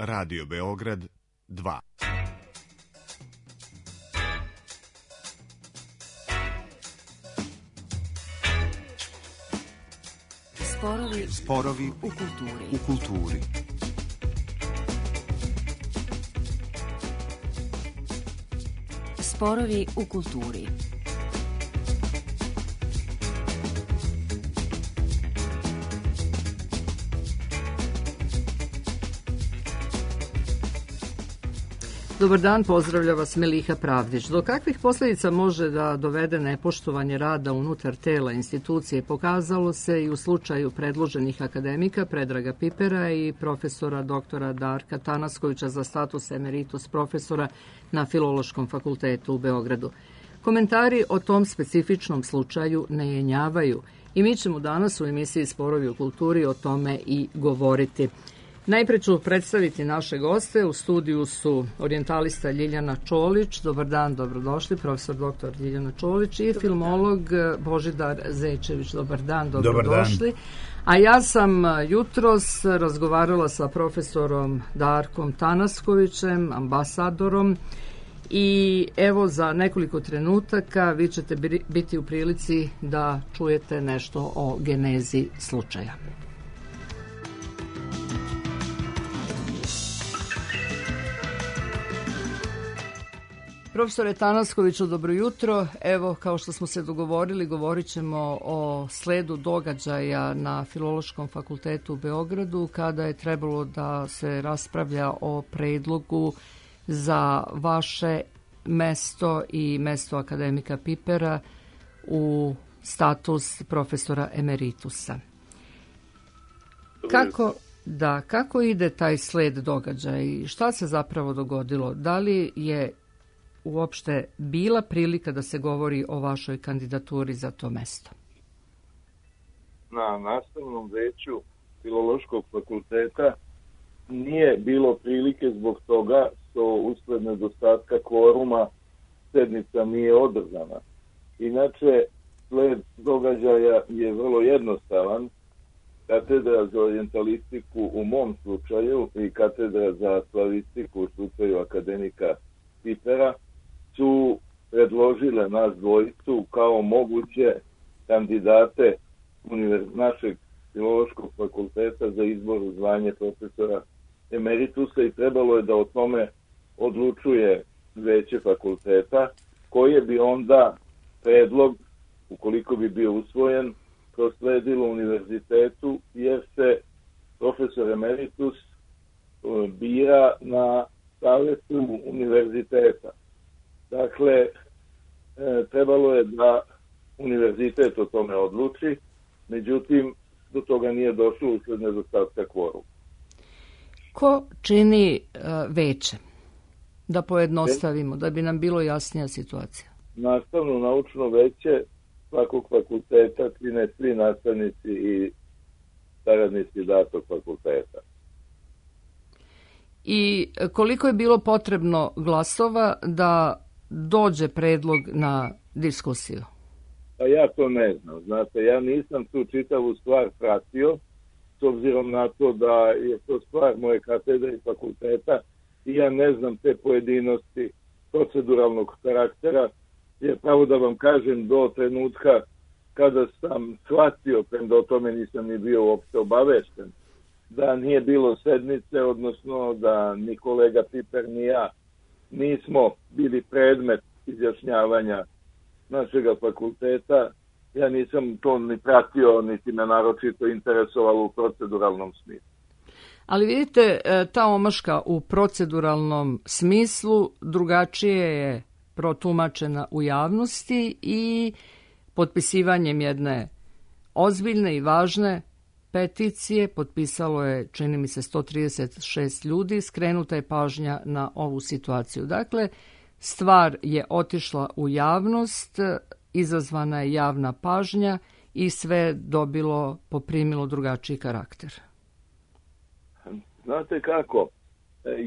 Radio Beograd 2. Sporovi u kulturi. Sporovi u kulturi. Dobar dan, pozdravlja vas Meliha Pravdić. Do kakvih posljedica može da dovede nepoštovanje rada unutar tela institucije pokazalo se i u slučaju predloženih akademika Predraga Pipera i profesora doktora Darka Tanaskovića za status emeritus profesora na Filološkom fakultetu u Beogradu. Komentari o tom specifičnom slučaju ne jenjavaju i mi ćemo danas u emisiji Sporovi u kulturi o tome i govoriti. Najpre ću predstaviti naše goste. U studiju su orijentalista Ljiljana Čolić. Dobar dan, dobrodošli, profesor doktor Ljiljana Čolić i filmolog Božidar Zečević. Dobar dan, dobrodošli. A ja sam jutros razgovarala sa profesorom Darkom Tanaskovićem, ambasadorom, i evo za nekoliko trenutaka vi ćete biti u prilici da čujete nešto o genezi slučaja. Profesore Tanaskoviću, dobro jutro. Evo, kao što smo se dogovorili, govorit ćemo o sledu događaja na Filološkom fakultetu u Beogradu, kada je trebalo da se raspravlja o predlogu za vaše mesto i mesto akademika Pipera u status profesora emeritusa. Kako ide taj sled događaja? Šta se zapravo dogodilo? Da li je uopšte bila prilika da se govori o vašoj kandidaturi za to mesto? Na nastavnom veću Filološkog fakulteta nije bilo prilike zbog toga što usled nedostatka kvoruma sednica nije održana. Inače, sled događaja je vrlo jednostavan. Katedra za orijentalistiku u mom slučaju i katedra za slavistiku u slučaju akademika Pipera su predložile nas dvojicu kao moguće kandidate našeg Filološkog fakulteta za izbor u zvanje profesora emeritusa i trebalo je da o tome odlučuje veće fakulteta, koje bi onda predlog, ukoliko bi bio usvojen, prosledilo univerzitetu, jer se profesor emeritus bira na savetu univerziteta. Dakle, trebalo je da univerzitet o tome odluči, međutim, do toga nije došlo usled nedostatka kvoruma. Ko čini veće? Da pojednostavimo, da bi nam bilo jasnija situacija. Nastavno naučno veće svakog fakulteta čine svi nastavnici i saradnici datog fakulteta. I koliko je bilo potrebno glasova da dođe predlog na diskusiju? Pa ja to ne znam. Znate, ja nisam tu čitavu stvar pratio, s obzirom na to da je to stvar moje katedre i fakulteta i ja ne znam te pojedinosti proceduralnog karaktera, jer pravo da vam kažem, do trenutka kada sam shvatio, premda o tome nisam ni bio uopšte obavešten, da nije bilo sednice, odnosno da ni kolega Piper ni ja nismo bili predmet izjašnjavanja našega fakulteta. Ja nisam to ni pratio, niti me naročito interesovalo u proceduralnom smislu. Ali vidite, ta omaška u proceduralnom smislu drugačije je protumačena u javnosti i potpisivanjem jedne ozbiljne i važne peticije, potpisalo je, čini mi se, 136 ljudi, skrenuta je pažnja na ovu situaciju. Dakle, stvar je otišla u javnost, izazvana je javna pažnja i sve poprimilo drugačiji karakter. Znate kako,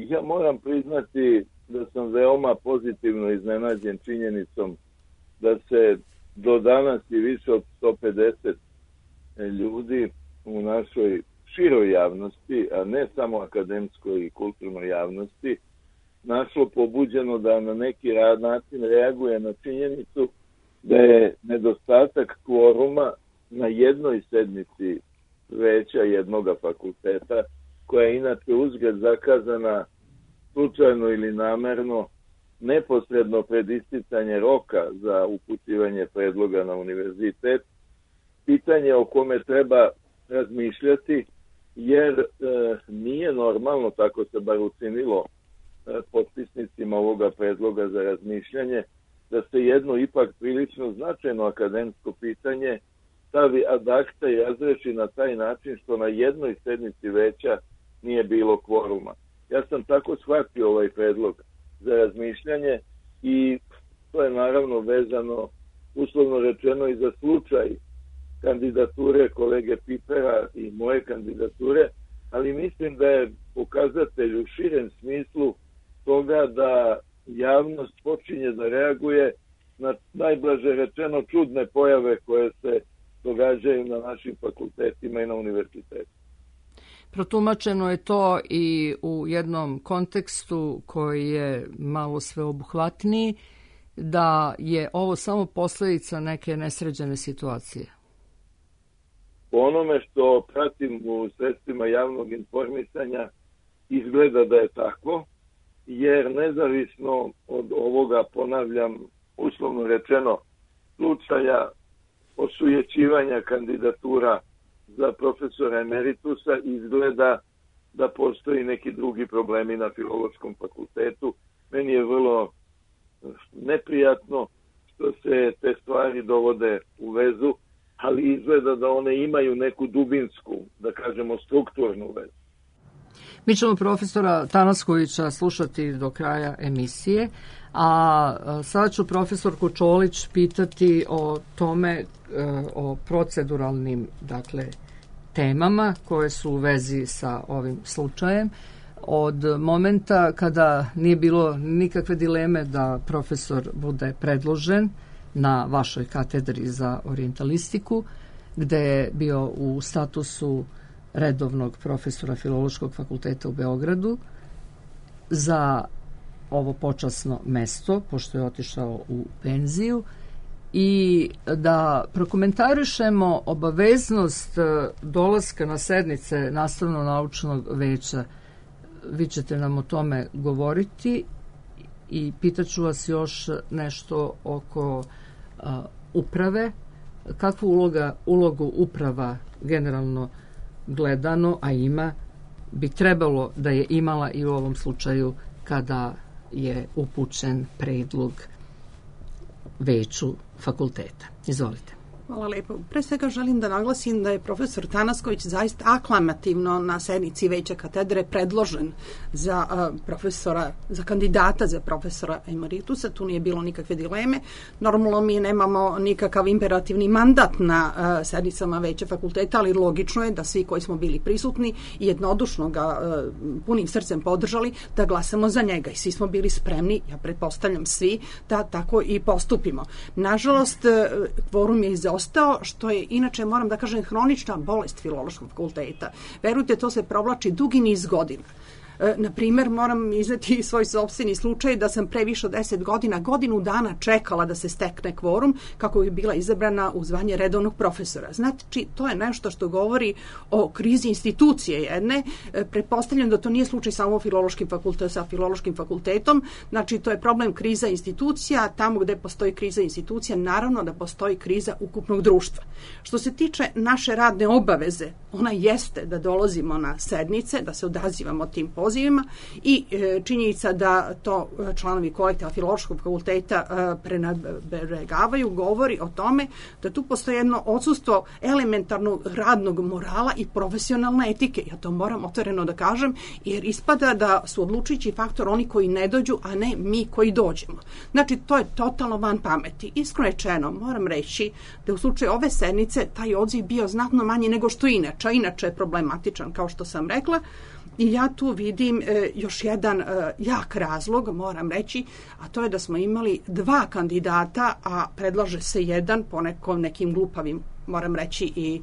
ja moram priznati da sam veoma pozitivno iznenađen činjenicom da se do danas i više od 150 ljudi u našoj široj javnosti, a ne samo akademskoj i kulturnoj javnosti, našlo pobuđeno da na neki način reaguje na činjenicu da je nedostatak kvoruma na jednoj sednici veća jednoga fakulteta, koja je inače uzgled zakazana slučajno ili namerno neposredno pred isticanje roka za upućivanje predloga na univerzitet, pitanje o kome treba razmišljati, jer nije normalno, tako se bar učinilo potpisnicima ovoga predloga za razmišljanje, da se jedno ipak prilično značajno akademsko pitanje stavi ad acta i razreši na taj način što na jednoj sednici veća nije bilo kvoruma. Ja sam tako shvatio ovaj predlog za razmišljanje i to je naravno vezano, uslovno rečeno, i za slučaj kandidature kolege Pipera i moje kandidature, ali mislim da je pokazatelj u širem smislu toga da javnost počinje da reaguje na, najblaže rečeno, čudne pojave koje se događaju na našim fakultetima i na univerzitetu. Protumačeno je to i u jednom kontekstu koji je malo sveobuhvatniji, da je ovo samo posljedica neke nesređene situacije. Po onome što pratim u sredstvima javnog informisanja, izgleda da je tako, jer nezavisno od ovoga, ponavljam, uslovno rečeno, slučaja osujećivanja kandidatura za profesora emeritusa, izgleda da postoji neki drugi problemi na Filološkom fakultetu. Meni je vrlo neprijatno što se te stvari dovode u vezu, ali izgleda da one imaju neku dubinsku, da kažemo, strukturnu vezu. Mi ćemo profesora Tanaskovića slušati do kraja emisije, a sada ću profesorku Čolić pitati o tome, o proceduralnim, temama koje su u vezi sa ovim slučajem. Od momenta kada nije bilo nikakve dileme da profesor bude predložen na vašoj katedri za orijentalistiku, gde je bio u statusu redovnog profesora Filološkog fakulteta u Beogradu za ovo počasno mesto, pošto je otišao u penziju, i da prokomentarišemo obaveznost dolaska na sednice nastavno-naučnog veća. Vi ćete nam o tome govoriti i pitaću vas još nešto oko uprave. Kakvu ulogu uprava generalno gledano, a ima, bi trebalo da je imala i u ovom slučaju kada je upućen predlog veću fakulteta. Izvolite. Hvala lepo. Pre svega želim da naglasim da je profesor Tanasković zaista aklamativno na sednici veća katedre predložen za profesora, za kandidata za profesora emeritusa. Tu nije bilo nikakve dileme. Normalno mi nemamo nikakav imperativni mandat na sednicama veća fakulteta, ali logično je da svi koji smo bili prisutni i jednodušno ga punim srcem podržali da glasamo za njega i svi smo bili spremni, ja pretpostavljam svi, da tako i postupimo. Nažalost, kvorum je ostao, što je inače, moram da kažem, hronična bolest Filološkog fakulteta. Verujte, to se provlači dugi niz godina. Na primjer, moram izneti svoj sopstveni slučaj da sam pre više od 10 godina, godinu dana čekala da se stekne kvorum kako bi bila izabrana u zvanje redovnog profesora. Znači, to je nešto što govori o krizi institucije jedne. Pretpostavljam da to nije slučaj samo sa Filološkim fakultetom. Znači, to je problem kriza institucija. Tamo gde postoji kriza institucija, naravno da postoji kriza ukupnog društva. Što se tiče naše radne obaveze, ona jeste da dolazimo na sednice, da se odazivamo tim pozivima i činjenica da to članovi kolektiva Filološkog fakulteta prenebregavaju govori o tome da tu postoji jedno odsustvo elementarnog radnog morala i profesionalne etike. Ja to moram otvoreno da kažem, jer ispada da su odlučujući faktor oni koji ne dođu, a ne mi koji dođemo. Znači, to je totalno van pameti. Iskreno rečeno, moram reći da u slučaju ove sednice taj odziv bio znatno manji nego što inače. Inače je problematičan, kao što sam rekla. I ja tu vidim još jedan jak razlog, moram reći, a to je da smo imali 2 kandidata, a predlaže se jedan po nekim glupavim moram reći i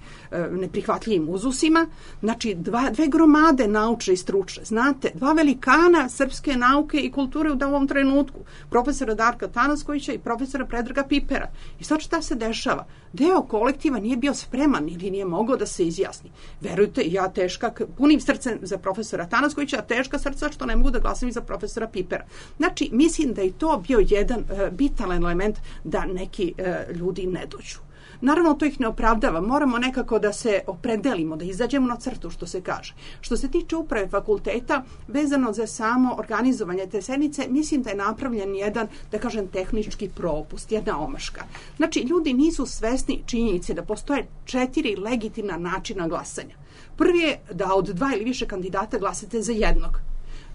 neprihvatljivim uzusima. Znači, dve gromade naučne i stručne. Znate, dva velikana srpske nauke i kulture u ovom trenutku. Profesora Darka Tanaskovića i profesora Predraga Pipera. I sad šta se dešava? Deo kolektiva nije bio spreman ili nije mogao da se izjasni. Verujte, ja teška, punim srcem za profesora Tanaskovića, a teška srca što ne mogu da glasam i za profesora Pipera. Znači, mislim da je to bio jedan bitan element da neki ljudi ne dođu. Naravno, to ih ne opravdava. Moramo nekako da se opredelimo, da izađemo na crtu, što se kaže. Što se tiče uprave fakulteta, vezano za samo organizovanje te sednice, mislim da je napravljen jedan, da kažem, tehnički propust, jedna omaška. Znači, ljudi nisu svesni činjenice da postoje 4 legitimna načina glasanja. Prvi je da od 2 ili više kandidata glasate za jednog.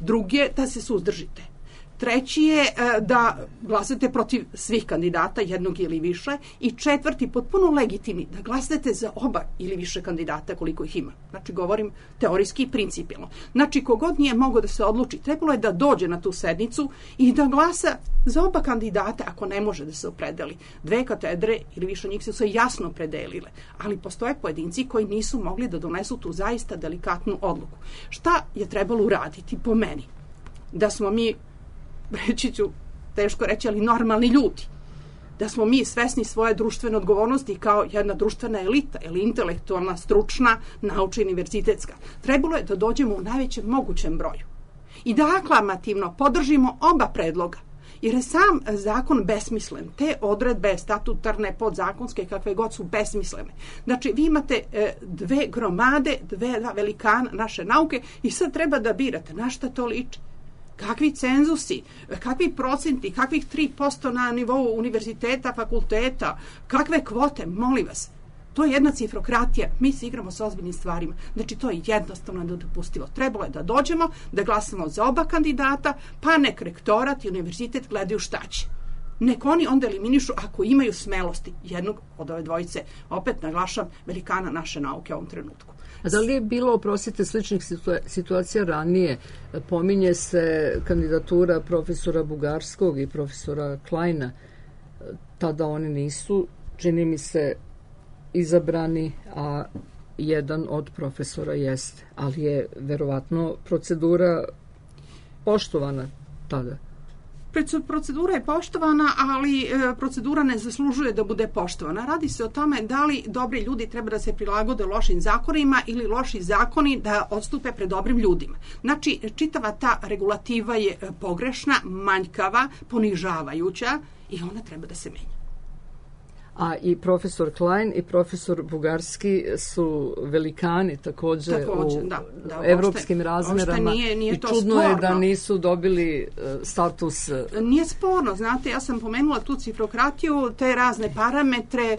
Drugi je da se suzdržite. Treći je da glasate protiv svih kandidata, jednog ili više. I četvrti, potpuno legitimni, da glasate za oba ili više kandidata koliko ih ima. Znači, govorim teorijski i principijalno. Znači, kogod nije mogao da se odluči, trebalo je da dođe na tu sednicu i da glasa za oba kandidata ako ne može da se opredeli. 2 katedre ili više njih su se jasno opredelile. Ali postoje pojedinci koji nisu mogli da donesu tu zaista delikatnu odluku. Šta je trebalo uraditi po meni? Da smo mi, reći ću, teško reći, ali normalni ljudi. Da smo mi svesni svoje društvene odgovornosti kao jedna društvena elita ili intelektualna, stručna, naučna, univerzitetska. Trebalo je da dođemo u najvećem mogućem broju. I da aklamativno podržimo oba predloga. Jer je sam zakon besmislen. Te odredbe statutarne, podzakonske, kakve god su besmislene. Znači, vi imate 2 gromade, 2 velikana naše nauke i sad treba da birate na šta to liči. Kakvi cenzusi, kakvi procenti, kakvih 3% na nivou univerziteta, fakulteta, kakve kvote, molim vas. To je jedna cifrokratija. Mi se igramo sa ozbiljnim stvarima. Znači, to je jednostavno nedopustivo. Trebalo je da dođemo, da glasamo za oba kandidata, pa nek rektorat i univerzitet gledaju šta će. Nek oni onda eliminišu ako imaju smelosti jednog od ove dvojice. Opet naglašam, velikana naše nauke u ovom trenutku. A da li je bilo, oprostite, sličnih situacija ranije? Pominje se kandidatura profesora Bugarskog i profesora Kleina. Tada oni nisu, čini mi se, izabrani, a jedan od profesora jeste. Ali je verovatno procedura poštovana tada. Procedura je poštovana, ali procedura ne zaslužuje da bude poštovana. Radi se o tome da li dobri ljudi treba da se prilagode lošim zakonima ili loši zakoni da odstupe pred dobrim ljudima. Znači, čitava ta regulativa je pogrešna, manjkava, ponižavajuća i ona treba da se menja. A i profesor Klein i profesor Bugarski su velikani također u evropskim razmerama nije i čudno je da nisu dobili status. Nije sporno, znate, ja sam pomenula tu cifrokratiju, te razne parametre,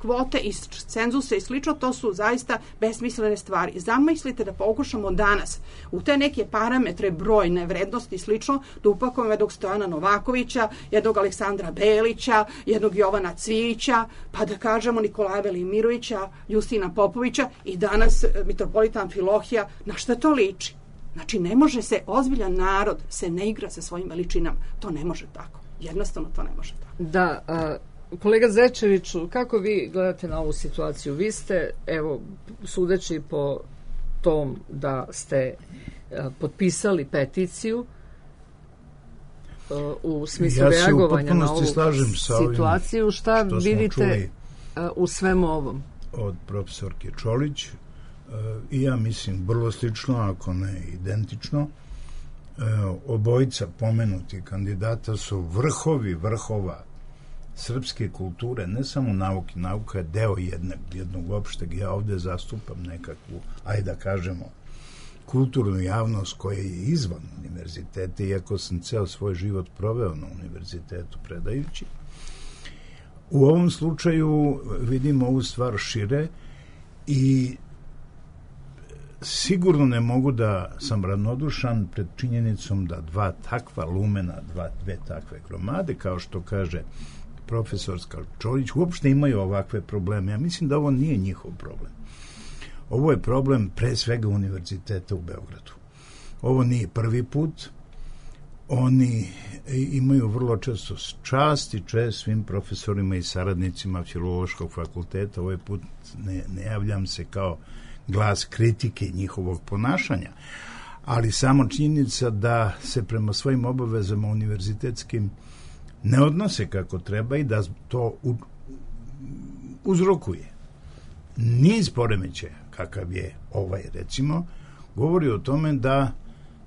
kvote i cenzuse i slično, to su zaista besmislene stvari. Zamislite da pokušamo danas u te neke parametre, brojne vrednosti i slično, da upakujemo jednog Stojana Novakovića, jednog Aleksandra Belića, jednog Jovana Cvijića, pa da kažemo Nikolaja Velimirovića, Justina Popovića i danas mitropolita Amfilohija. Na šta to liči? Znači, ne može se, ozbiljan narod se ne igra sa svojim veličinama. To ne može tako. Jednostavno to ne može tako. Da, kolega Zečeviću, kako vi gledate na ovu situaciju? Vi ste, evo, sudeći po tom da ste potpisali peticiju u smislu reagovanja na ovu situaciju, šta vidite u svemu ovom? Od profesorke Čolić i ja mislim vrlo slično, ako ne identično. Obojica pomenuti kandidata su vrhovi vrhova srpske kulture, ne samo nauke. Nauka je deo jednog opšteg. Ja ovde zastupam nekakvu, ajde da kažemo, kulturnu javnost koja je izvan univerziteta, iako sam ceo svoj život proveo na univerzitetu predajući. U ovom slučaju vidimo ovu stvar šire i sigurno ne mogu da sam ravnodušan pred činjenicom da 2 takva lumena, 2 takve gromade, kao što kaže profesorska Čolić, uopšte imaju ovakve probleme. Ja mislim da ovo nije njihov problem. Ovo je problem pre svega univerziteta u Beogradu. Ovo nije prvi put. Oni imaju vrlo često čast i čest svim profesorima i saradnicima Filološkog fakulteta. Ovaj put ne javljam se kao glas kritike njihovog ponašanja, ali samo činjenica da se prema svojim obavezama univerzitetskim ne odnose kako treba i da to uzrokuje niz poremećaja, kakav je ovaj recimo, govori o tome da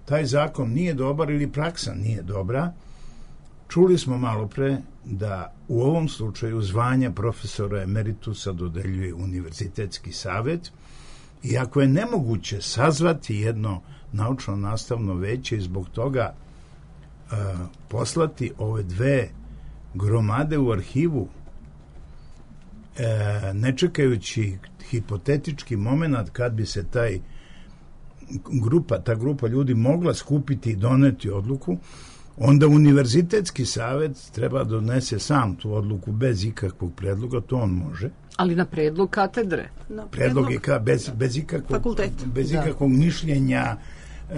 taj zakon nije dobar ili praksa nije dobra. Čuli smo malo pre da u ovom slučaju zvanja profesora emeritusa dodeljuje univerzitetski savet, iako je nemoguće sazvati jedno naučno-nastavno veće i zbog toga poslati ove dve gromade u arhivu, ne čekajući hipotetički moment kad bi se ta grupa ljudi mogla skupiti i doneti odluku, onda univerzitetski savet treba donese sam tu odluku bez ikakvog predloga, to on može. Ali na predlog katedre. Predlog je bez ikakvog mišljenja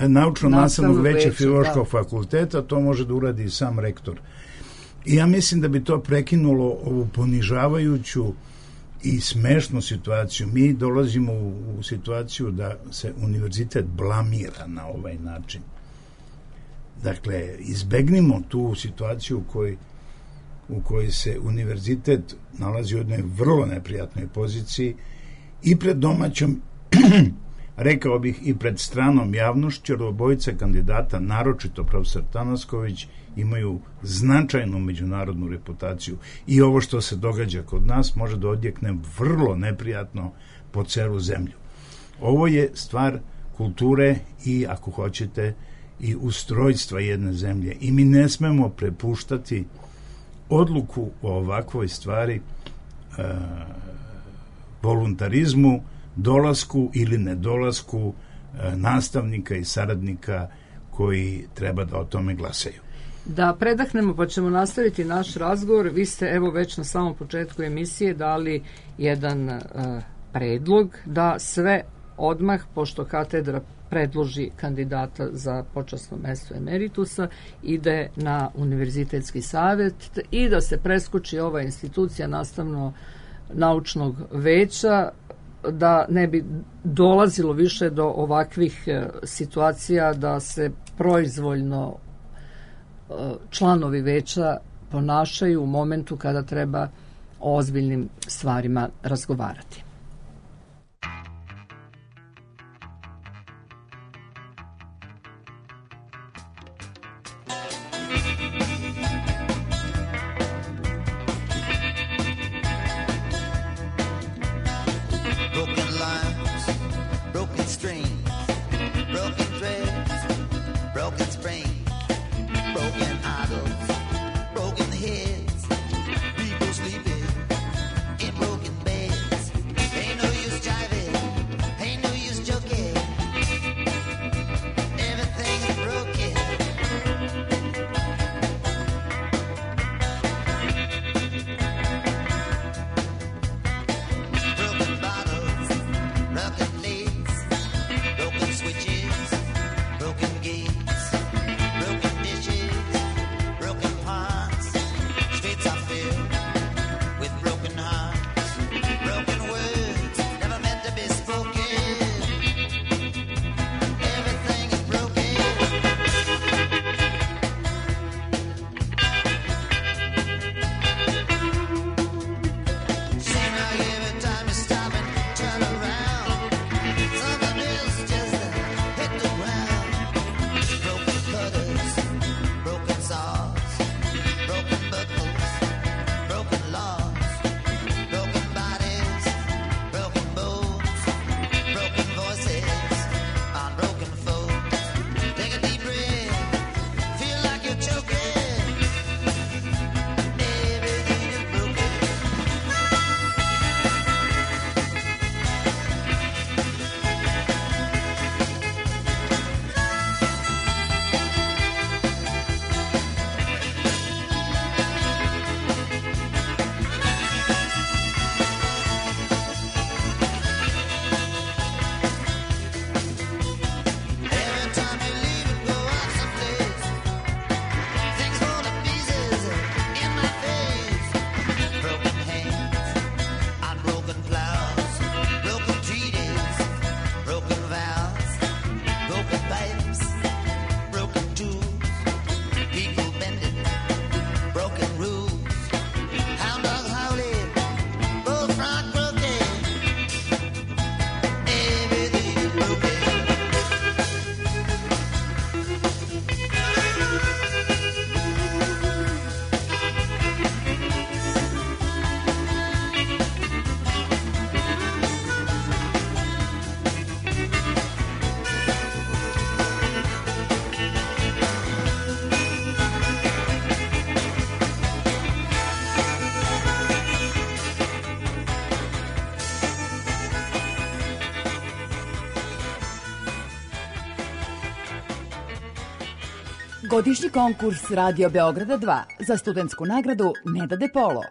naučno-nastavnog veća Filološkog fakulteta, to može da uradi sam rektor. I ja mislim da bi to prekinulo ovu ponižavajuću i smešnu situaciju. Mi dolazimo u situaciju da se univerzitet blamira na ovaj način. Dakle, izbegnimo tu situaciju u kojoj se univerzitet nalazi u jednoj vrlo neprijatnoj poziciji i pred domaćom, rekao bih i pred stranom javnošću, jer obojica kandidata, naročito profesor Tanasković, imaju značajnu međunarodnu reputaciju i ovo što se događa kod nas može da odjekne vrlo neprijatno po celu zemlju. Ovo je stvar kulture i, ako hoćete, i ustrojstva jedne zemlje i mi ne smemo prepuštati odluku o ovakvoj stvari voluntarizmu, dolasku ili nedolasku nastavnika i saradnika koji treba da o tome glasaju. Da predahnemo pa ćemo nastaviti naš razgovor. Vi ste evo već na samom početku emisije dali jedan predlog da sve odmah, pošto katedra predloži kandidata za počasno mesto emeritusa, ide na univerzitetski savet i da se preskoči ova institucija nastavno-naučnog veća, da ne bi dolazilo više do ovakvih situacija da se proizvoljno članovi veća ponašaju u momentu kada treba o ozbiljnim stvarima razgovarati. Godišnji konkurs Radio Beograda 2 za studentsku nagradu Neda De Polo.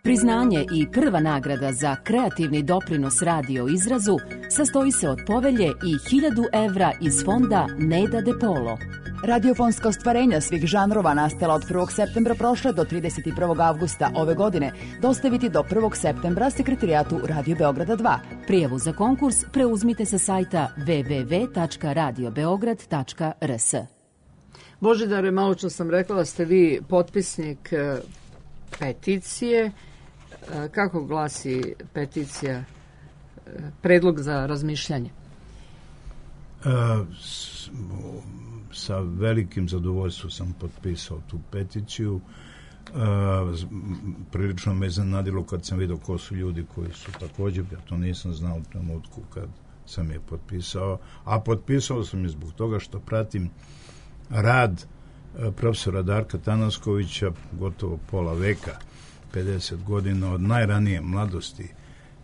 Priznanje i prva nagrada za kreativni doprinos radio izrazu sastoji se od povelje i 1000 evra iz fonda Neda De Polo. Radiofonska ostvarenja svih žanrova nastala od 1. septembra prošle do 31. avgusta ove godine dostaviti do 1. septembra Sekretarijatu Radio Beograda 2. Prijavu za konkurs preuzmite sa sajta www.radiobeograd.rs. Božidare, malo čas sam rekla da ste vi potpisnik peticije. Kako glasi peticija, predlog za razmišljanje? Sa velikim zadovoljstvom sam potpisao tu peticiju. Prilično me iznenadilo kad sam vidio ko su ljudi koji su također, ja to nisam znao u trenutku kad sam je potpisao, a potpisao sam je zbog toga što pratim rad profesora Darka Tanaskovića gotovo pola veka, 50 godina od najranije mladosti.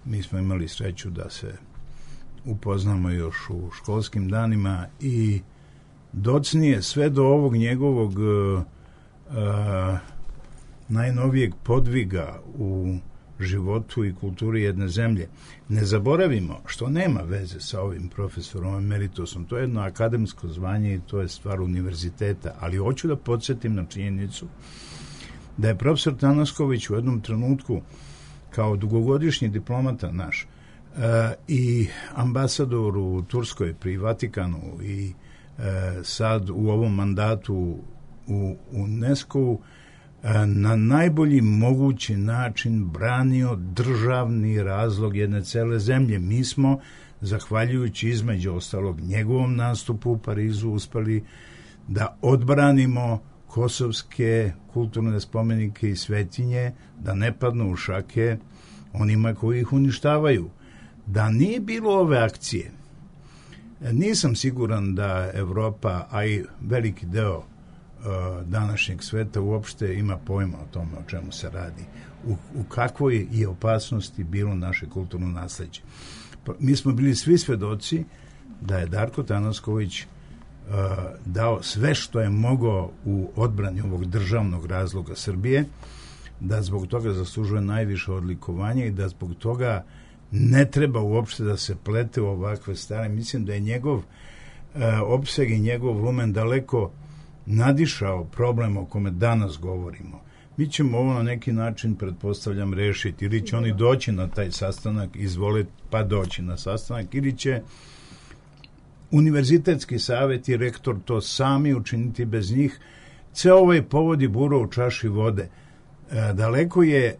Mi smo imali sreću da se upoznamo još u školskim danima i docnije sve do ovog njegovog najnovijeg podviga u životu i kulturi jedne zemlje. Ne zaboravimo, što nema veze sa ovim profesorom emeritusom, to je jedno akademsko zvanje i to je stvar univerziteta, ali hoću da podsjetim na činjenicu da je profesor Tanasković u jednom trenutku kao dugogodišnji diplomata naš i ambasador u Turskoj pri Vatikanu i sad u ovom mandatu u UNESCO-u na najbolji mogući način branio državni razlog jedne cele zemlje. Mi smo, zahvaljujući između ostalog njegovom nastupu u Parizu, uspeli da odbranimo kosovske kulturne spomenike i svetinje, da ne padnu u šake onima koji ih uništavaju. Da nije bilo ove akcije, nisam siguran da Evropa, a i veliki deo današnjeg sveta uopšte ima pojma o tome o čemu se radi, u kakvoj je opasnosti bilo naše kulturno nasleđe. Mi smo bili svi svedoci da je Darko Tanasković dao sve što je mogao u odbrani ovog državnog razloga Srbije, da zbog toga zaslužuje najviše odlikovanje i da zbog toga ne treba uopšte da se plete u ovakve stvari. Mislim da je njegov opseg i njegov lumen daleko nadišao problem o kome danas govorimo. Mi ćemo ovo na neki način, pretpostavljam, rešiti. Ili će oni doći na taj sastanak, izvoliti pa doći na sastanak, ili će Univerzitetski savjet i rektor to sami učiniti bez njih. Ceo ovaj povod i bura u čaši vode. Daleko je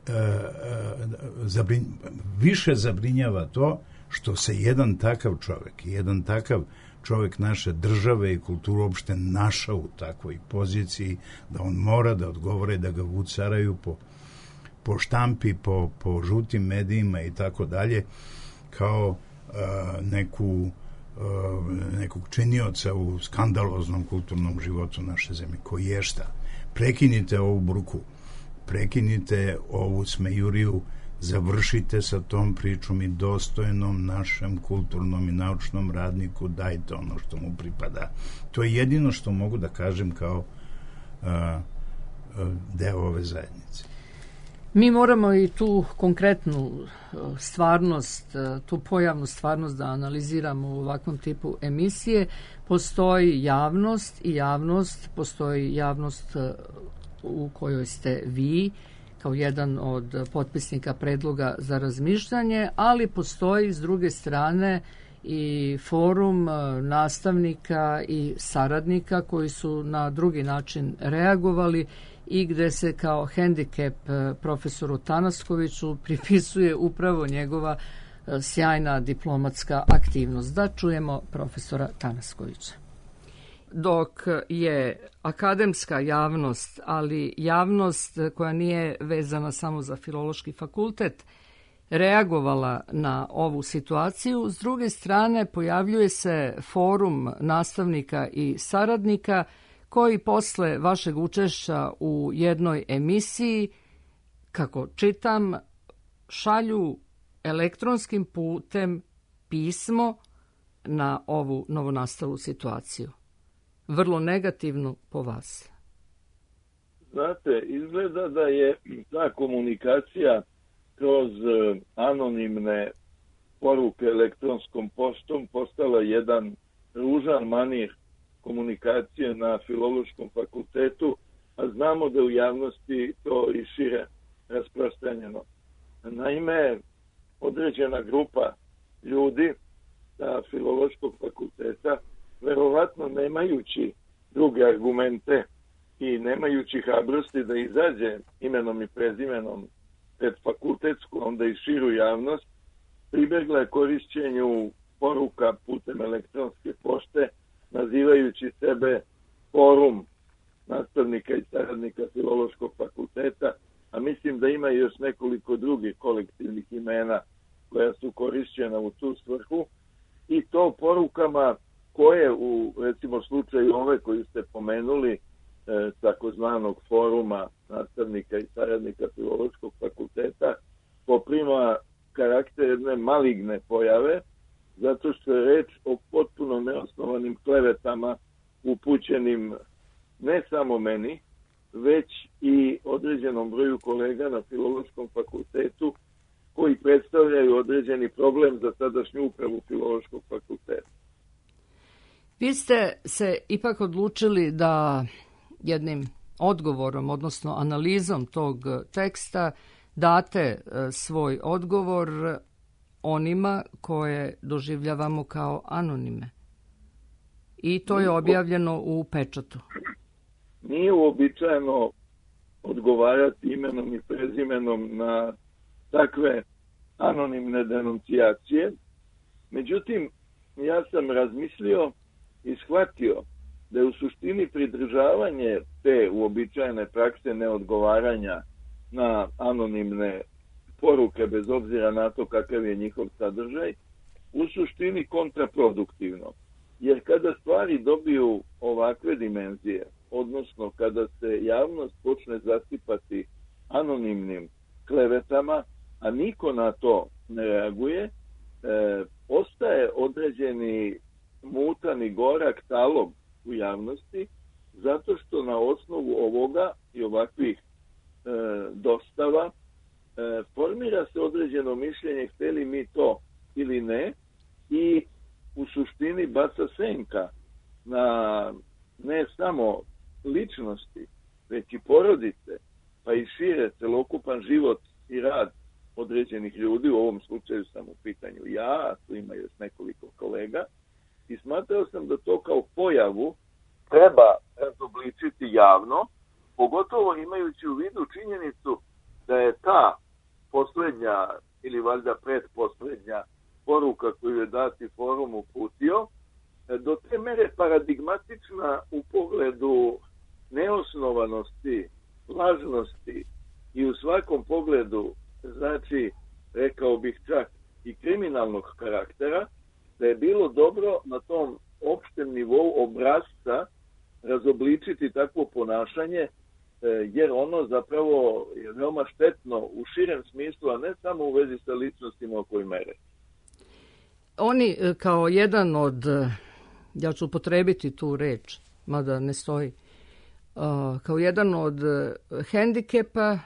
više zabrinjava to što se jedan takav čovjek, jedan takav čovjek naše države i kulturu uopšte našao u takvoj poziciji da on mora da odgovore, da ga vucaraju po štampi, po žutim medijima i tako dalje, kao nekog činioca u skandaloznom kulturnom životu naše zemlje. Koji je šta? Prekinite ovu bruku, prekinite ovu smejuriju, završite sa tom pričom i dostojnom našem kulturnom i naučnom radniku dajte ono što mu pripada. To je jedino što mogu da kažem kao deo ove zajednice. Mi moramo i tu konkretnu stvarnost, tu pojavnu stvarnost da analiziramo u ovakvom tipu emisije. Postoji javnost, postoji javnost u kojoj ste vi, kao jedan od potpisnika predloga za razmišljanje, ali postoji s druge strane i forum nastavnika i saradnika koji su na drugi način reagovali i gde se kao hendikep profesoru Tanaskoviću pripisuje upravo njegova sjajna diplomatska aktivnost. Da čujemo profesora Tanaskovića. Dok je akademska javnost, ali javnost koja nije vezana samo za Filološki fakultet, reagovala na ovu situaciju, s druge strane pojavljuje se forum nastavnika i saradnika koji posle vašeg učešća u jednoj emisiji, kako čitam, šalju elektronskim putem pismo na ovu novonastalu situaciju. vrlo negativno po vas? Znate, izgleda da je ta komunikacija kroz anonimne poruke elektronskom poštom postala jedan ružan manir komunikacije na Filološkom fakultetu, a znamo da u javnosti to i šire rasprostranjeno. Naime, određena grupa ljudi sa Filološkog fakulteta, verovatno nemajući druge argumente i nemajući hrabrosti da izađe imenom i prezimenom pred fakultetsku, onda i širu javnost, pribegla je korišćenju poruka putem elektronske pošte, nazivajući sebe forum nastavnika i saradnika Filološkog fakulteta, a mislim da ima još nekoliko drugih kolektivnih imena koja su korišćena u tu svrhu, i to porukama koje u, recimo, slučaju ove koju ste pomenuli, takozvanog foruma nastavnika i saradnika Filološkog fakulteta, poprima karakter jedne maligne pojave, zato što je reč o potpuno neosnovanim klevetama upućenim ne samo meni, već i određenom broju kolega na Filološkom fakultetu koji predstavljaju određeni problem za tadašnju upravu Filološkog fakulteta. Vi ste se ipak odlučili da jednim odgovorom, odnosno analizom tog teksta, date svoj odgovor onima koje doživljavamo kao anonime. I to je objavljeno u pečatu. Nije uobičajeno odgovarati imenom i prezimenom na takve anonimne denuncijacije. Međutim, ja sam razmislio i shvatio da je u suštini pridržavanje te uobičajene prakse neodgovaranja na anonimne poruke, bez obzira na to kakav je njihov sadržaj, u suštini kontraproduktivno. Jer kada stvari dobiju ovakve dimenzije, odnosno kada se javnost počne zasipati anonimnim klevetama, a niko na to ne reaguje, ostaje određeni mutan i gorak talog u javnosti, zato što na osnovu ovoga i ovakvih dostava formira se određeno mišljenje, hteli mi to ili ne, i u suštini baca senka na ne samo ličnosti, već i porodice, pa i šire celokupan život i rad određenih ljudi. U ovom slučaju sam u pitanju ja, a tu ima još nekoliko kolega, i smatrao sam da to kao pojavu treba razobličiti javno, pogotovo imajući u vidu činjenicu da je ta poslednja ili valjda pretposlednja poruka koju je dati forum uputio do te mere paradigmatična u pogledu neosnovanosti, lažnosti i u svakom pogledu, znači, rekao bih čak i kriminalnog karaktera, da je bilo dobro na tom opštem nivou obrazca razobličiti takvo ponašanje, jer ono zapravo je veoma štetno u širem smislu, a ne samo u vezi sa ličnostima o kojoj mere. Oni kao jedan od, ja ću upotrebiti tu reč, mada ne stoji, kao jedan od hendikepa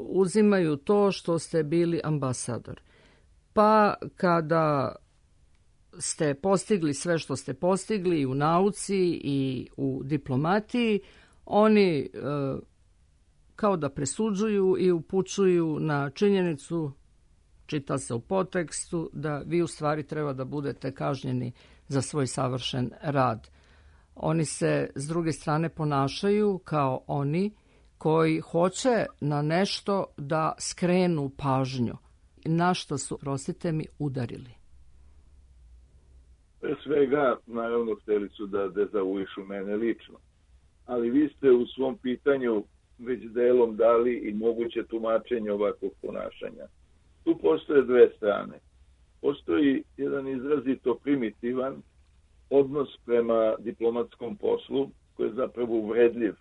uzimaju to što ste bili ambasador. Pa kada ste postigli sve što ste postigli i u nauci i u diplomatiji, oni kao da presuđuju i upućuju na činjenicu, čita se u podtekstu, da vi u stvari treba da budete kažnjeni za svoj savršen rad. Oni se s druge strane ponašaju kao oni koji hoće na nešto da skrenu pažnju. Na što su, prostite mi, udarili? Pre svega, naravno, hteli su da dezavuišu mene lično. Ali vi ste u svom pitanju već delom dali i moguće tumačenje ovakvog ponašanja. Tu postoje dve strane. Postoji jedan izrazito primitivan odnos prema diplomatskom poslu, koji je zapravo uvredljiv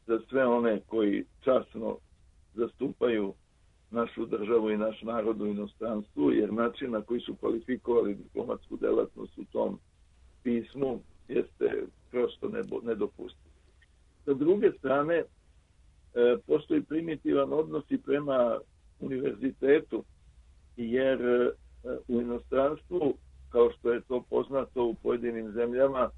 za sve one koji časno zastupaju našu državu i naš narod u inostranstvu, jer način na koji su kvalifikovali diplomatsku delatnost u tom pismu jeste prosto nedopustiv. Sa druge strane, postoji primitivan odnos i prema univerzitetu, jer u inostranstvu, kao što je to poznato u pojedinim zemljama,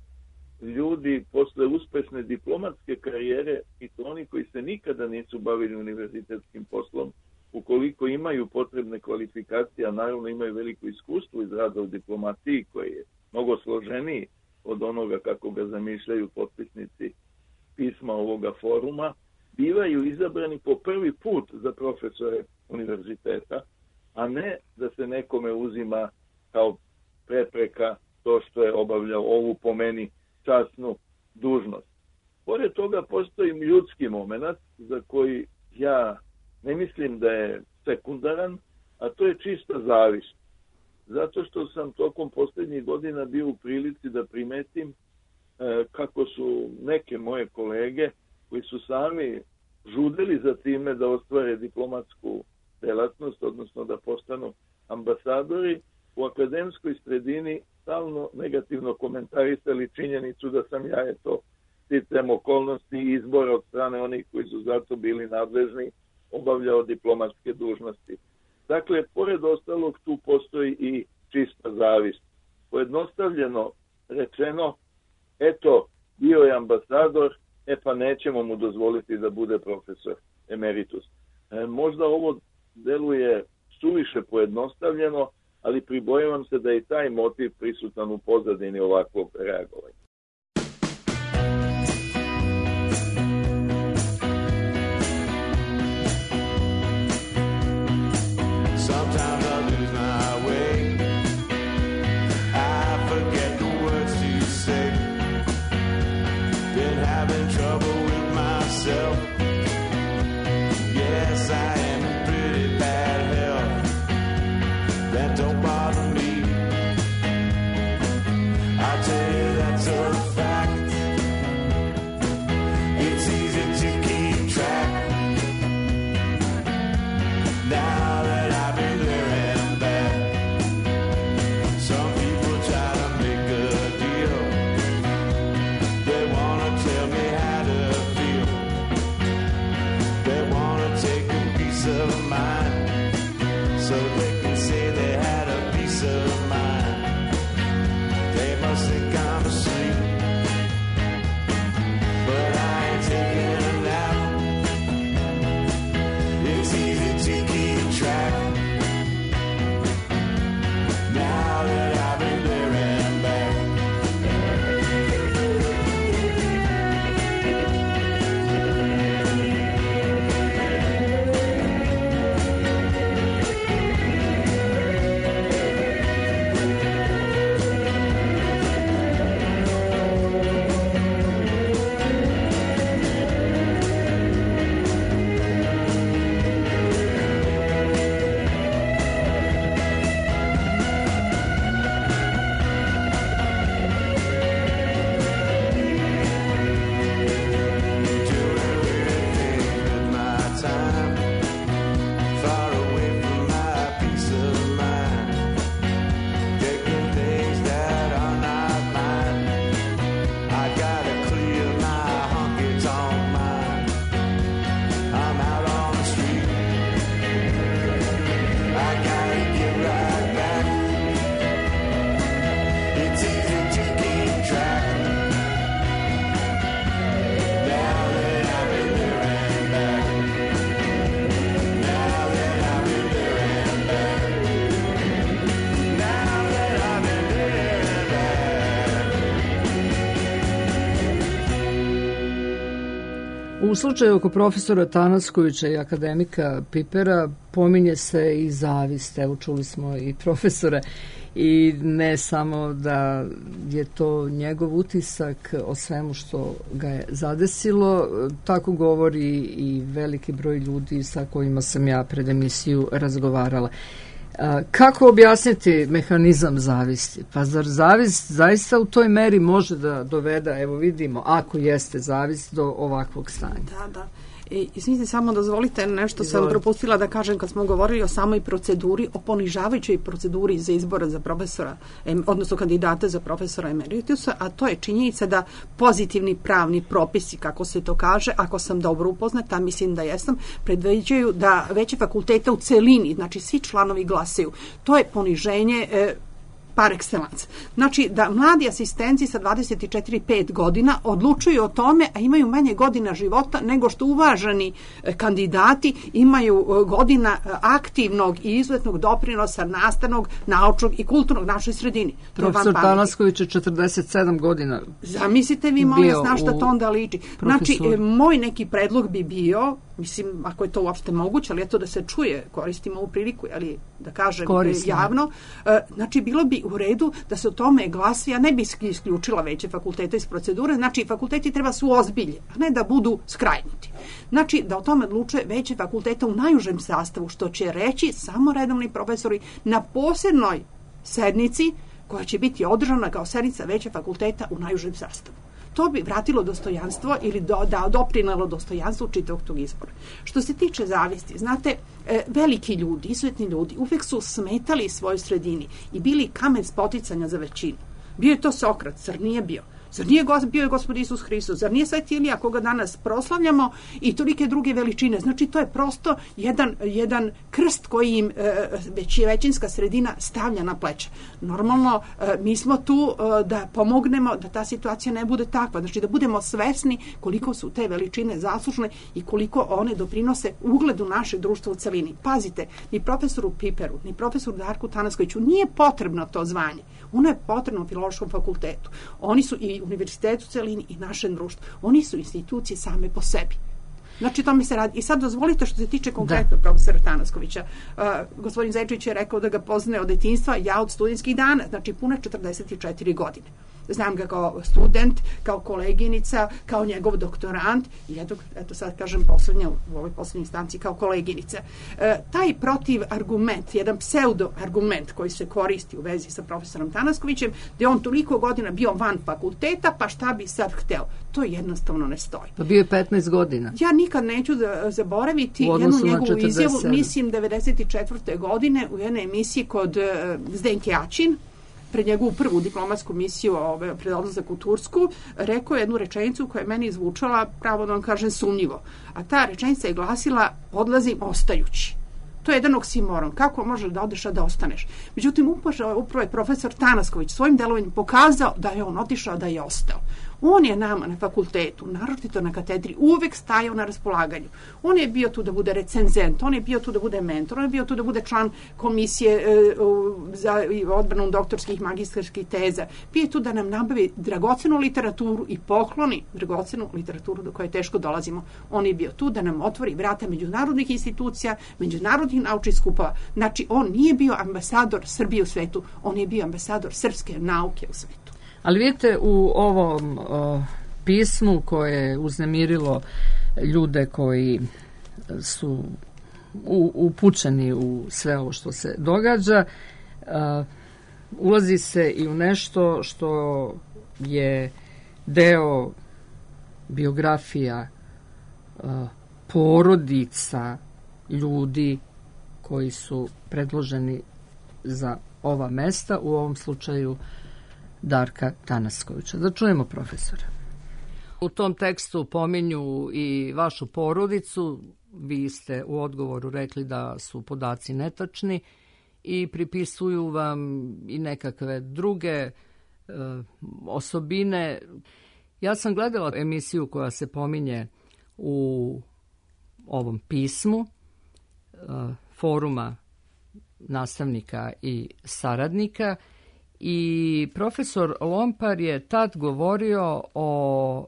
ljudi posle uspešne diplomatske karijere, i to oni koji se nikada nisu bavili univerzitetskim poslom, ukoliko imaju potrebne kvalifikacije, a naravno imaju veliko iskustvo iz rada u diplomaciji, koji je mnogo složeniji od onoga kako ga zamišljaju potpisnici pisma ovoga foruma, bivaju izabrani po prvi put za profesore univerziteta, a ne da se nekome uzima kao prepreka to što je obavljao ovu po meni časnu dužnost. Pored toga postoji ljudski moment za koji ja ne mislim da je sekundaran, a to je čista zavist. Zato što sam tokom posljednjih godina bio u prilici da primetim kako su neke moje kolege koji su sami žudeli za time da ostvare diplomatsku delatnost, odnosno da postanu ambasadori, u akademskoj sredini stalno negativno komentarisali činjenicu da sam ja sticajem okolnosti i izbora od strane onih koji su zato bili nadležni obavljao diplomatske dužnosti. Dakle, pored ostalog, tu postoji i čista zavist. Pojednostavljeno rečeno, eto, bio je ambasador, pa nećemo mu dozvoliti da bude profesor emeritus. Možda ovo deluje suviše pojednostavljeno, ali pribojavam se da je taj motiv prisutan u pozadini ovakvog reagovanja. U slučaju oko profesora Tanaskovića i akademika Pipera pominje se i zavist. Evo, čuli smo i profesora, i ne samo da je to njegov utisak o svemu što ga je zadesilo, tako govori i veliki broj ljudi sa kojima sam ja pred emisiju razgovarala. Kako objasniti mehanizam zavisti? Pa zar zavist zaista u toj meri može da dovede, evo vidimo, ako jeste zavist, do ovakvog stanja? Da. Izvinite, samo dozvolite, nešto sam propustila da kažem kad smo govorili o samoj proceduri, o ponižavajućoj proceduri za izbora za profesora, odnosno kandidata za profesora emeritusa, a to je činjenica da pozitivni pravni propisi, kako se to kaže, ako sam dobro upoznata, mislim da jesam, predviđaju da veće fakulteta u celini, znači svi članovi glasaju. To je poniženje par excellence. Znači da mladi asistenci sa 24-5 godina odlučuju o tome, a imaju manje godina života nego što uvaženi kandidati imaju godina aktivnog i izuzetnog doprinosa nastavnog, naučnog i kulturnog našoj sredini. Profesor Tanasković je 47 godina. Zamislite vi, molim vas, na šta to onda liči. Znači, moj neki predlog bi bio, mislim, ako je to uopšte moguće, ali eto da se čuje, koristimo ovu priliku, ali da kažem javno, znači bilo bi u redu da se o tome glasi, ja ne bi isključila veće fakultete iz procedure, znači fakulteti treba su ozbilje, a ne da budu skrajnuti. Znači da o tome odlučuje veće fakulteta u najužem sastavu, što će reći samo redovni profesori na posebnoj sednici koja će biti održana kao sednica veće fakulteta u najužem sastavu. To bi vratilo dostojanstvo ili doprinalo dostojanstvu čitavog tog izbora. Što se tiče zavisti, znate, veliki ljudi, izuzetni ljudi, uvek su smetali svojoj sredini i bili kamen spoticanja za većinu. Bio je to Sokrat, zar nije bio? Zar nije bio je Gospod Isus Hristos? Zar nije Sveti Ilija koga danas proslavljamo i tolike druge veličine? Znači, to je prosto jedan krst koji im većinska sredina stavlja na pleće. Normalno, mi smo tu da pomognemo da ta situacija ne bude takva. Znači, da budemo svesni koliko su te veličine zaslužne i koliko one doprinose ugledu našeg društva u celini. Pazite, ni profesoru Piperu, ni profesoru Darku Tanaskoviću nije potrebno to zvanje. Ono je potrebno Filološkom fakultetu. Oni su i univerzitetu u celini i našem društvu. Oni su institucije same po sebi. Znači, to mi se radi. I sad dozvolite što se tiče konkretno profesora Tanaskovića. Gospodin Zajčević je rekao da ga poznaje od detinjstva, ja od studentskih dana, znači pune 44 godine. Znam ga kao student, kao koleginica, kao njegov doktorant i eto sad kažem u ovoj poslednjoj instanci kao koleginica. Taj protiv argument, jedan pseudo argument koji se koristi u vezi sa profesorom Tanaskovićem, da je on toliko godina bio van fakulteta, pa šta bi sad hteo? To jednostavno ne stoji. Pa bio je 15 godina. Ja nikad neću zaboraviti jednu njegovu izjavu, mislim 94. godine u jednoj emisiji kod Zdenke Aćin, pred njegovu prvu diplomatsku misiju pred odlazak u Tursku, rekao je jednu rečenicu koja je meni zvučala, pravo da vam kažem, sumnjivo. A ta rečenica je glasila: odlazim ostajući. To je jedan oksimoron. Kako možeš da odeš, a da ostaneš? Međutim, upravo je profesor Tanasković svojim delovanjem pokazao da je on otišao, da je ostao. On je nama na fakultetu, naročito na katedri, uvek stajao na raspolaganju. On je bio tu da bude recenzent, on je bio tu da bude mentor, on je bio tu da bude član komisije za odbranu doktorskih i magistarskih teza. Bio je tu da nam nabavi dragocenu literaturu i pokloni dragocenu literaturu do koje teško dolazimo. On je bio tu da nam otvori vrata međunarodnih institucija, međunarodnih naučnih skupova. Znači, on nije bio ambasador Srbije u svetu, on je bio ambasador srpske nauke u svetu. Ali vidite, u ovom pismu koje je uznemirilo ljude koji su upućeni u sve ovo što se događa, ulazi se i u nešto što je deo biografija porodica ljudi koji su predloženi za ova mesta, u ovom slučaju Darka Tanaskovića. Da čujemo profesora. U tom tekstu pominju i vašu porodicu. Vi ste u odgovoru rekli da su podaci netačni i pripisuju vam i nekakve druge osobine. Ja sam gledala emisiju koja se pominje u ovom pismu foruma nastavnika i saradnika i profesor Lompar je tad govorio o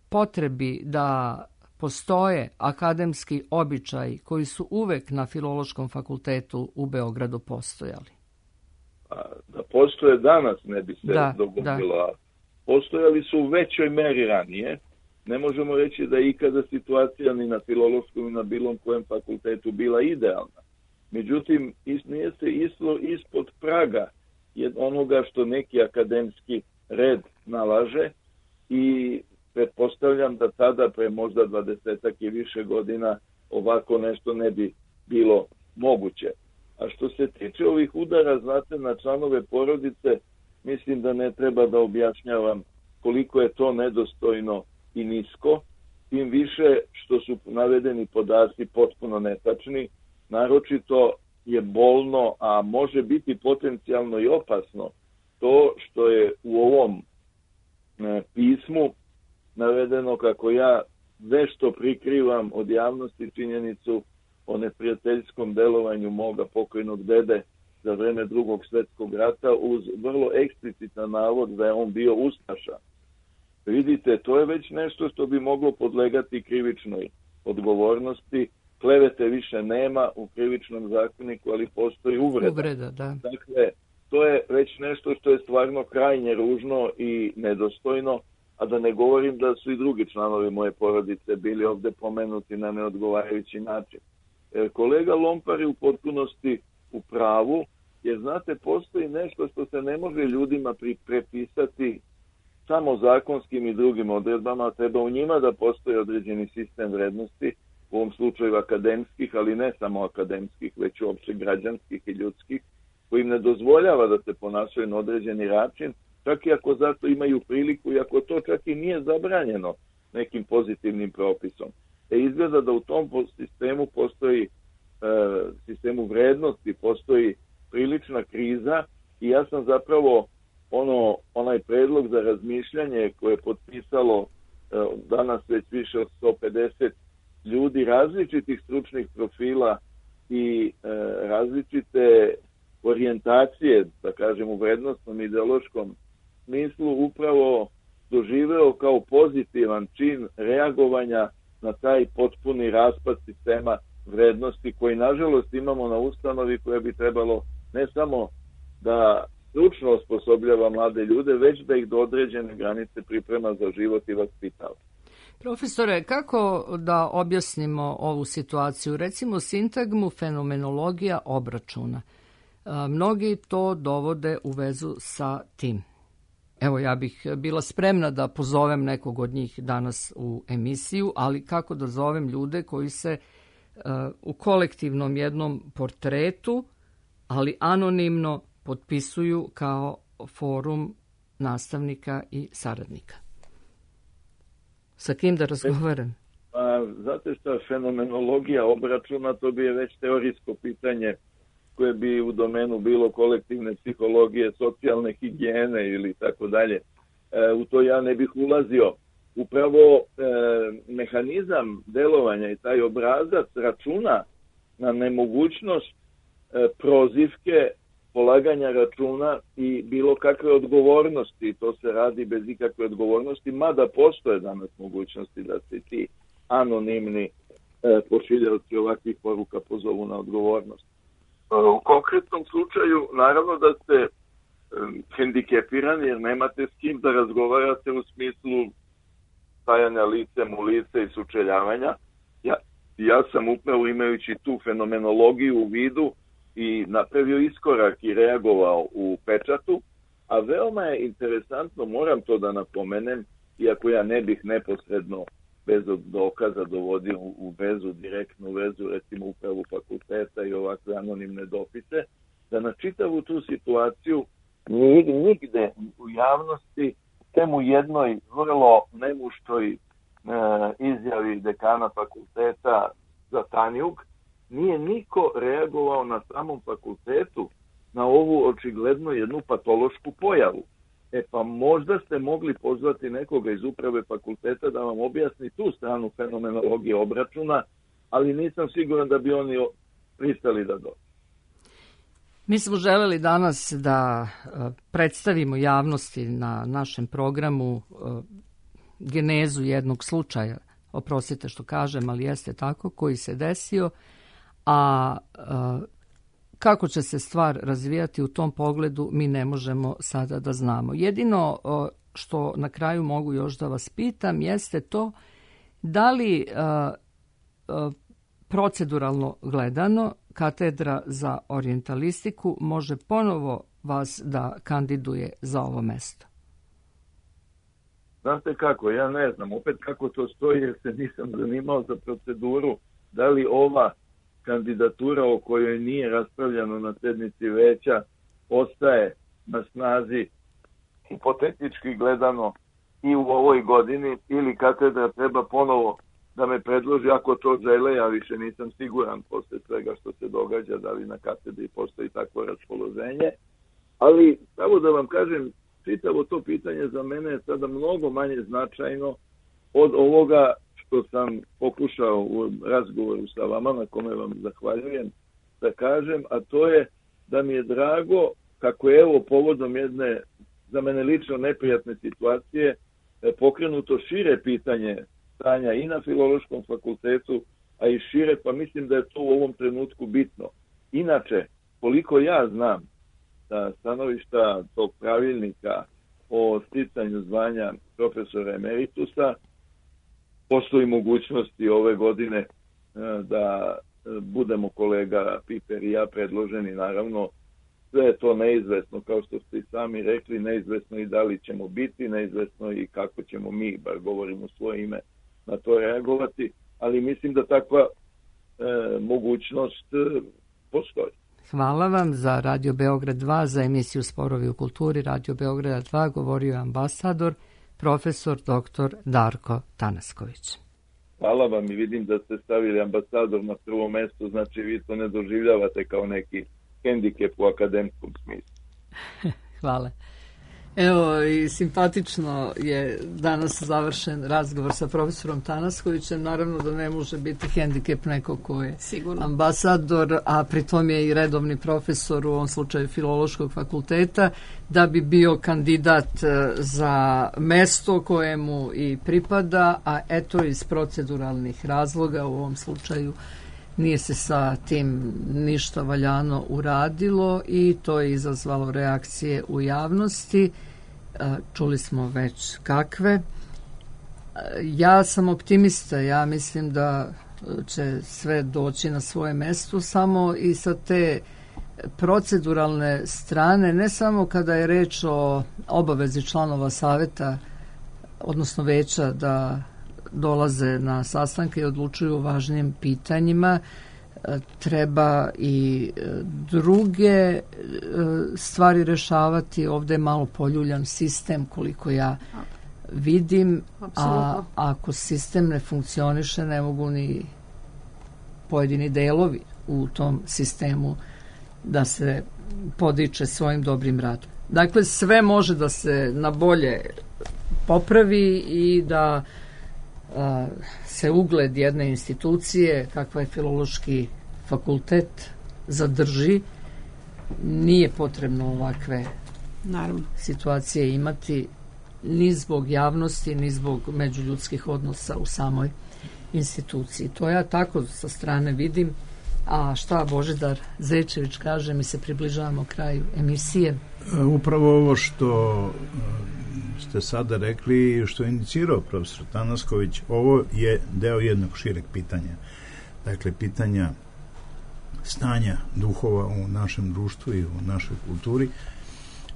potrebi da postoje akademski običaji koji su uvek na Filološkom fakultetu u Beogradu postojali. Da postoje danas ne bi se dogodilo. Da. Postojali su u većoj meri ranije. Ne možemo reći da je ikada situacija ni na Filološkom ni na bilo kojem fakultetu bila idealna. Međutim, nije se išlo ispod praga onoga što neki akademski red nalaže i pretpostavljam da tada, pre možda 20 i više godina, ovako nešto ne bi bilo moguće. A što se tiče ovih udara, znate, na članove porodice, mislim da ne treba da objašnjavam koliko je to nedostojno i nisko, tim više što su navedeni podaci potpuno netačni, naročito je bolno, a može biti potencijalno i opasno, to što je u ovom pismu navedeno kako ja nešto prikrivam od javnosti činjenicu o neprijateljskom delovanju moga pokojnog dede za vreme Drugog svjetskog rata uz vrlo eksplicitan navod da je on bio ustaša. Vidite, to je već nešto što bi moglo podlegati krivičnoj odgovornosti. Klevete više nema u krivičnom zakoniku, ali postoji uvreda. Uvreda, da. Dakle, to je već nešto što je stvarno krajnje ružno i nedostojno, a da ne govorim da su i drugi članovi moje porodice bili ovde pomenuti na neodgovarajući način. Kolega Lompar je u potpunosti u pravu, jer znate, postoji nešto što se ne može ljudima prepisati samo zakonskim i drugim odredbama, treba u njima da postoji određeni sistem vrednosti, u ovom slučaju akademskih, ali ne samo akademskih, već uopće građanskih i ljudskih, koji im ne dozvoljava da se ponašaju na određeni način, čak i ako zato imaju priliku i ako to čak i nije zabranjeno nekim pozitivnim propisom. Izgleda da u tom sistemu postoji, sistemu vrednosti, postoji prilična kriza i ja sam zapravo onaj predlog za razmišljanje koje je potpisalo danas već više od 150 ljudi različitih stručnih profila i različite orijentacije, da kažem u vrednostnom ideološkom smislu, upravo doživeo kao pozitivan čin reagovanja na taj potpuni raspad sistema vrednosti koji nažalost imamo na ustanovi koje bi trebalo ne samo da stručno osposobljava mlade ljude, već da ih do određene granice priprema za život i vaspitava. Profesore, kako da objasnimo ovu situaciju? Recimo sintagmu fenomenologija obračuna. Mnogi to dovode u vezu sa tim. Evo, ja bih bila spremna da pozovem nekog od njih danas u emisiju, ali kako da zovem ljude koji se u kolektivnom jednom portretu, ali anonimno potpisuju kao forum nastavnika i saradnika? Sa kim da razgovaram? Znate šta, fenomenologija obračuna, to bi je već teorijsko pitanje koje bi u domenu bilo kolektivne psihologije, socijalne higijene ili tako dalje. U to ja ne bih ulazio. Upravo mehanizam delovanja i taj obrazac računa na nemogućnost prozivke, polaganja računa i bilo kakve odgovornosti. To se radi bez ikakve odgovornosti, mada postoje danas mogućnosti da se ti anonimni pošiljalci ovakvih poruka pozovu na odgovornost. U konkretnom slučaju, naravno da ste hendikepirani jer nemate s kim da razgovarate u smislu stajanja licem u lice i sučeljavanja. Ja sam upravo imajući tu fenomenologiju u vidu i napravio iskorak i reagovao u pečatu, a veoma je interesantno, moram to da napomenem, iako ja ne bih neposredno bez dokaza dovodio u vezu, direktnu vezu, recimo upravu fakulteta i ovakve anonimne dopise, da na čitavu tu situaciju nigde u javnosti, tem u jednoj vrlo nemuštoj izjavi dekana fakulteta za Tanjug, nije niko reagovao na samom fakultetu na ovu očigledno jednu patološku pojavu. Pa možda ste mogli pozvati nekoga iz uprave fakulteta da vam objasni tu stranu fenomenologije obračuna, ali nisam siguran da bi oni pristali da dođu. Mi smo želeli danas da predstavimo javnosti na našem programu genezu jednog slučaja, oprostite što kažem, ali jeste tako, koji se desio, a kako će se stvar razvijati u tom pogledu mi ne možemo sada da znamo. Jedino što na kraju mogu još da vas pitam jeste to da li proceduralno gledano katedra za orijentalistiku može ponovo vas da kandiduje za ovo mesto? Znate kako, ja ne znam opet kako to stoji jer se nisam zanimao za proceduru, da li ova kandidatura o kojoj nije raspravljano na sednici veća ostaje na snazi hipotetički gledano i u ovoj godini ili katedra treba ponovo da me predloži ako to žele, ja više nisam siguran posle svega što se događa, da li na katedri postoji takvo raspoloženje. Ali, samo da vam kažem, čitavo to pitanje za mene je sada mnogo manje značajno od ovoga što sam pokušao u razgovoru sa vama, na kome vam zahvaljujem, da kažem, a to je da mi je drago kako je evo povodom jedne za mene lično neprijatne situacije pokrenuto šire pitanje stanja i na Filološkom fakultetu, a i šire, pa mislim da je to u ovom trenutku bitno. Inače, koliko ja znam sa stanovišta tog pravilnika o sticanju zvanja profesora emeritusa, postoji mogućnosti ove godine da budemo kolega Piper i ja predloženi, naravno sve je to neizvesno, kao što ste i sami rekli, neizvesno i da li ćemo biti, neizvesno i kako ćemo mi, bar govorimo svoje ime, na to reagovati, ali mislim da takva mogućnost postoji. Hvala vam. Za Radio Beograd 2, za emisiju Sporovi u kulturi Radio Beograda 2 govorio je ambasador, profesor dr. Darko Tanasković. Hvala vam i vidim da ste stavili ambasador na prvo mesto, znači vi to ne doživljavate kao neki hendikep u akademskom smislu. Hvala. Evo i simpatično je danas završen razgovor sa profesorom Tanaskovićem. Naravno da ne može biti hendikep neko ko je sigurno ambasador, a pritom je i redovni profesor u ovom slučaju Filološkog fakulteta, da bi bio kandidat za mesto kojemu i pripada, a eto iz proceduralnih razloga u ovom slučaju nije se sa tim ništa valjano uradilo i to je izazvalo reakcije u javnosti. Čuli smo već kakve. Ja sam optimista, ja mislim da će sve doći na svoje mesto, samo i sa te proceduralne strane, ne samo kada je reč o obavezi članova saveta, odnosno veća da dolaze na sastanke i odlučuju o važnim pitanjima, treba i druge stvari rešavati. Ovde je malo poljuljan sistem koliko ja vidim, a ako sistem ne funkcioniše ne mogu ni pojedini delovi u tom sistemu da se podiče svojim dobrim radom. Dakle, sve može da se na bolje popravi i da se ugled jedne institucije, kakva je Filološki fakultet, zadrži. Nije potrebno ovakve situacije imati ni zbog javnosti, ni zbog međuljudskih odnosa u samoj instituciji. To ja tako sa strane vidim. A šta Božidar Zečević kaže, mi se približavamo kraju emisije. Upravo ovo što ste sada rekli, što je inicirao profesor Tanasković, ovo je deo jednog šireg pitanja. Dakle, pitanja stanja duhova u našem društvu i u našoj kulturi.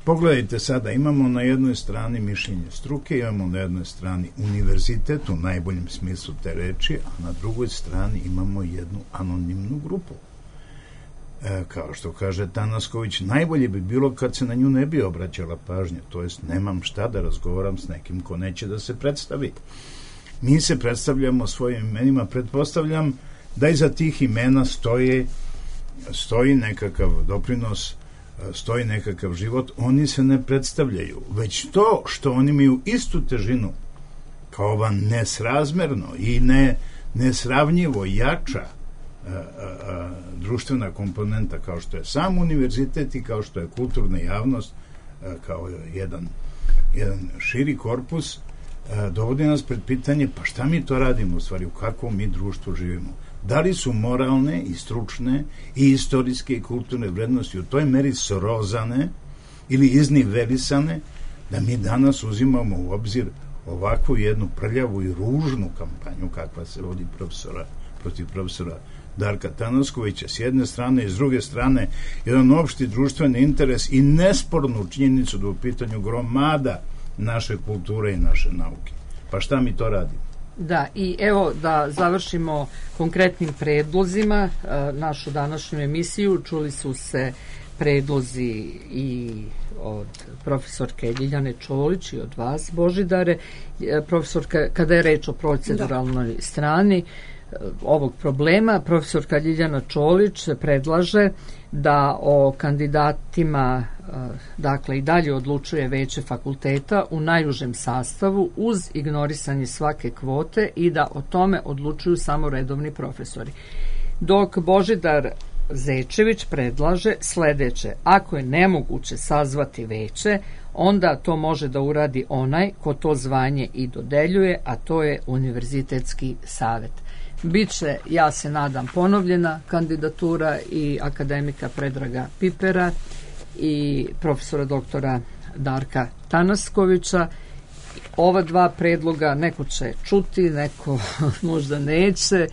Pogledajte sada, imamo na jednoj strani mišljenje struke, imamo na jednoj strani univerzitet u najboljem smislu te reči, a na drugoj strani imamo jednu anonimnu grupu. Kao što kaže Tanasković, najbolje bi bilo kad se na nju ne bi obraćala pažnja, to jest nemam šta da razgovaram s nekim ko neće da se predstavi. Mi se predstavljamo svojim imenima, pretpostavljam da iza tih imena stoji nekakav doprinos, stoji nekakav život, oni se ne predstavljaju, već to što oni imaju istu težinu kao ova nesrazmerno i nesravnjivo jača društvena komponenta kao što je sam univerzitet i kao što je kulturna javnost, kao jedan širi korpus, dovodi nas pred pitanje pa šta mi to radimo u stvari, u kakvom mi društvu živimo. Da li su moralne i stručne i istorijske i kulturne vrednosti u toj meri srozane ili iznivelisane da mi danas uzimamo u obzir ovakvu jednu prljavu i ružnu kampanju kakva se vodi protiv profesora Darka Tanaskovića s jedne strane i s druge strane jedan opšti društveni interes i nespornu činjenicu da u pitanju gromada naše kulture i naše nauke. Pa šta mi to radimo? Da, i evo da završimo konkretnim predlozima našu današnju emisiju. Čuli su se predlozi i od profesorke Ljiljane Čolić i od vas, Božidare. Profesorka, kada je reč o proceduralnoj strani ovog problema, profesorka Ljiljana Čolić predlaže da o kandidatima dakle i dalje odlučuje veće fakulteta u najužem sastavu uz ignorisanje svake kvote i da o tome odlučuju samo redovni profesori. Dok Božidar Zečević predlaže sledeće: ako je nemoguće sazvati veće, onda to može da uradi onaj ko to zvanje i dodeljuje, a to je Univerzitetski savet. Biće, ja se nadam, ponovljena kandidatura i akademika Predraga Pipera i profesora doktora Darka Tanaskovića. Ova dva predloga neko će čuti, neko možda neće.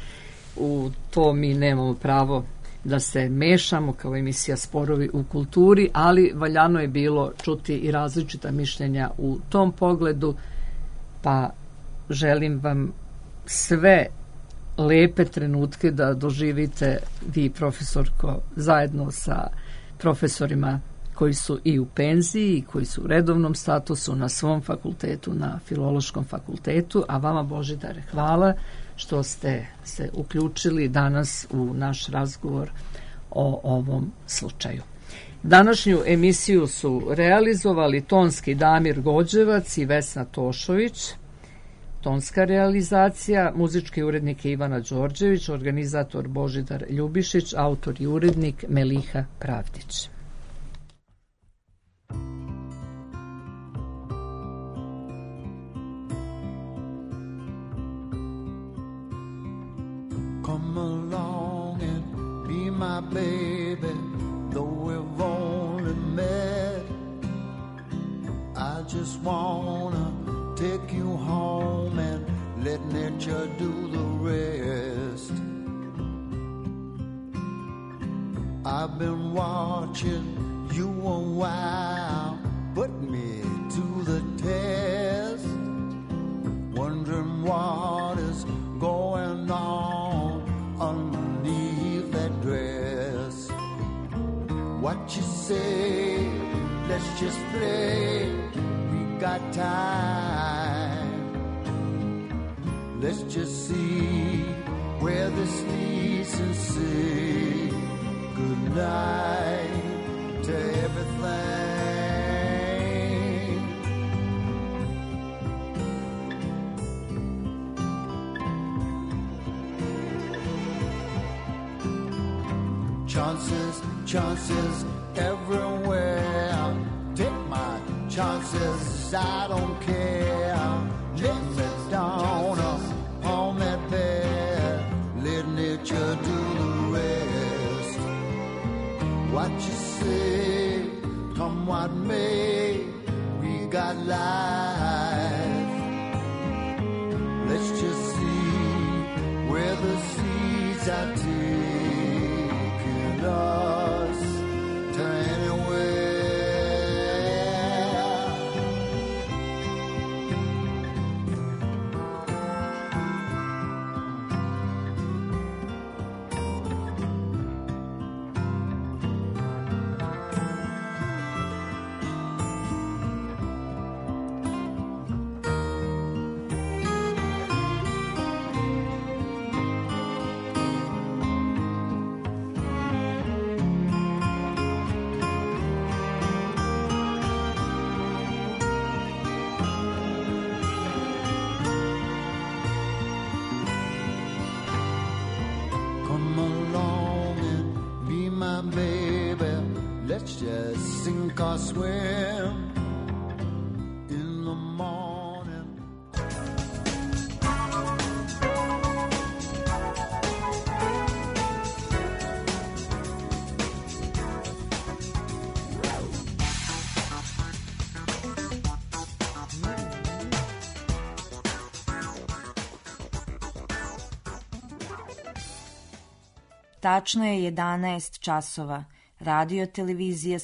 U to mi nemamo pravo da se mešamo kao emisija Sporovi u kulturi, ali valjano je bilo čuti i različita mišljenja u tom pogledu, pa želim vam sve lepe trenutke da doživite vi, profesorko, zajedno sa profesorima koji su i u penziji i koji su u redovnom statusu na svom fakultetu, na Filološkom fakultetu, a vama, Božidare, hvala što ste se uključili danas u naš razgovor o ovom slučaju. Današnju emisiju su realizovali tonski Damir Gođevac i Vesna Tošović, tonska realizacija, muzički urednik Ivana Đorđević, organizator Božidar Ljubišić, autor i urednik Meliha Pravdić. Come along and be my baby, though we've only met. I just wanna take you home and let nature do the rest. I've been watching you a while, put me to the test, wondering what is going on underneath that dress. What you say, let's just play, we got time. Let's just see where this leads and say good night to everything. Chances, chances everywhere. Take my chances, I don't care. Lay me down upon that bed, let nature do the rest. What you say, come what may, we got life. Let's just see where the seeds are taking us to anywhere. Let's just sink or swim in the morning. Tačno je 11 časova. Radio televizija